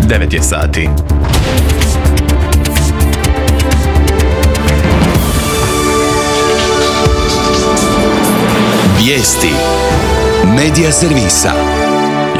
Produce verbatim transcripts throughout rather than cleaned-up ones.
devet je sati. Vijesti Medija servisa.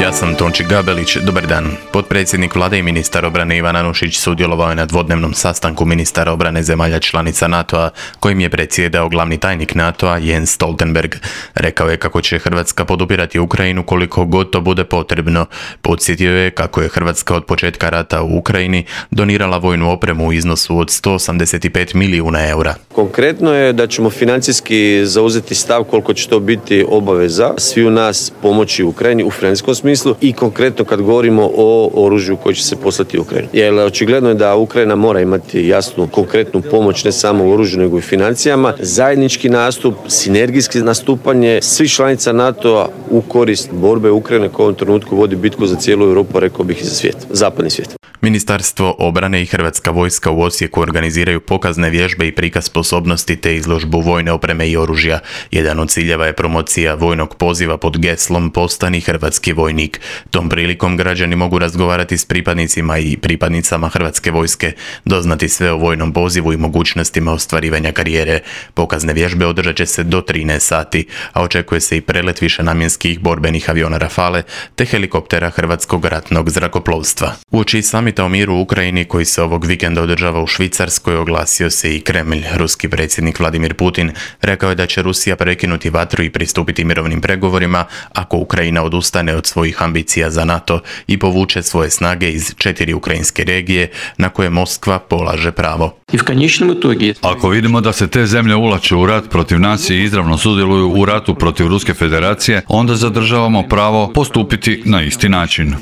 Ja sam Tonči Gabelić, dobar dan. Potpredsjednik vlade i ministar obrane Ivan Anušić sudjelovao je na dvodnevnom sastanku ministara obrane zemalja članica NATO-a, kojim je predsjedao glavni tajnik NATO-a Jens Stoltenberg. Rekao je kako će Hrvatska podupirati Ukrajinu koliko god to bude potrebno. Podsjetio je kako je Hrvatska od početka rata u Ukrajini donirala vojnu opremu u iznosu od sto osamdeset pet milijuna eura. Konkretno je da ćemo financijski zauzeti stav koliko će to biti obaveza svi u nas pomoći Ukrajini u financijskom smislu i konkretno kad govorimo o oružju koje će se poslati u Ukrajinu. Jer očigledno je da Ukrajina mora imati jasnu konkretnu pomoć ne samo u oružju nego i financijama, zajednički nastup, sinergijski nastupanje svih članica NATO-a u korist borbe Ukrajine koja u ovom trenutku vodi bitku za cijelu Europu, rekao bih i za svijet, zapadni svijet. Ministarstvo obrane i Hrvatska vojska u Osijeku organiziraju pokazne vježbe i prikaz sposobnosti te izložbu vojne opreme i oružja. Jedan od ciljeva je promocija vojnog poziva pod geslom Postani hrvatski vojnik. Tom prilikom građani mogu razgovarati s pripadnicima i pripadnicama Hrvatske vojske, doznati sve o vojnom pozivu i mogućnostima ostvarivanja karijere. Pokazne vježbe održat će se do trinaest sati, a očekuje se i prelet višenamjenskih borbenih aviona Rafale te helikoptera Hrvatskog ratnog zrakoplovstva. Uoči samita o miru u Ukrajini koji se ovog vikenda održava u Švicarskoj oglasio se i Kremlj. Ruski predsjednik Vladimir Putin rekao je da će Rusija prekinuti vatru i pristupiti mirovnim pregovorima ako Ukrajina odustane od svojih ambicija za NATO i povuče svoje snage iz četiri ukrajinske regije na koje Moskva polaže pravo. Ako vidimo da se te zemlje ulaču u rat protiv nas i izravno sudjeluju u ratu protiv Ruske federacije, onda zadržavamo pravo postupiti na isti način.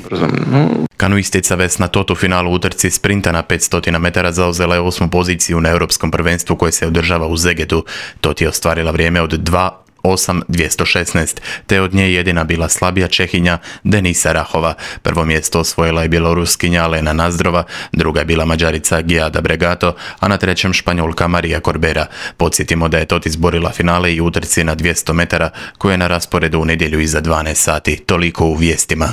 Kanuistica Vesna Tot u finalu utrci sprinta na petsto metara zauzela je osmu poziciju na europskom prvenstvu koje se održava u Zegetu. Tot je ostvarila vrijeme od dva osam dvjesto šesnaest, te od nje jedina bila slabija Čehinja Denisa Rahova. Prvo mjesto osvojila je Bjeloruskinja Lena Nazdrova, druga je bila Mađarica Giada Bregato, a na trećem Španjolka Marija Corbera. Podsjetimo da je Tot izborila finale i utrci na dvjesto metara koje je na rasporedu u nedjelju iza dvanaest sati. Toliko u vijestima.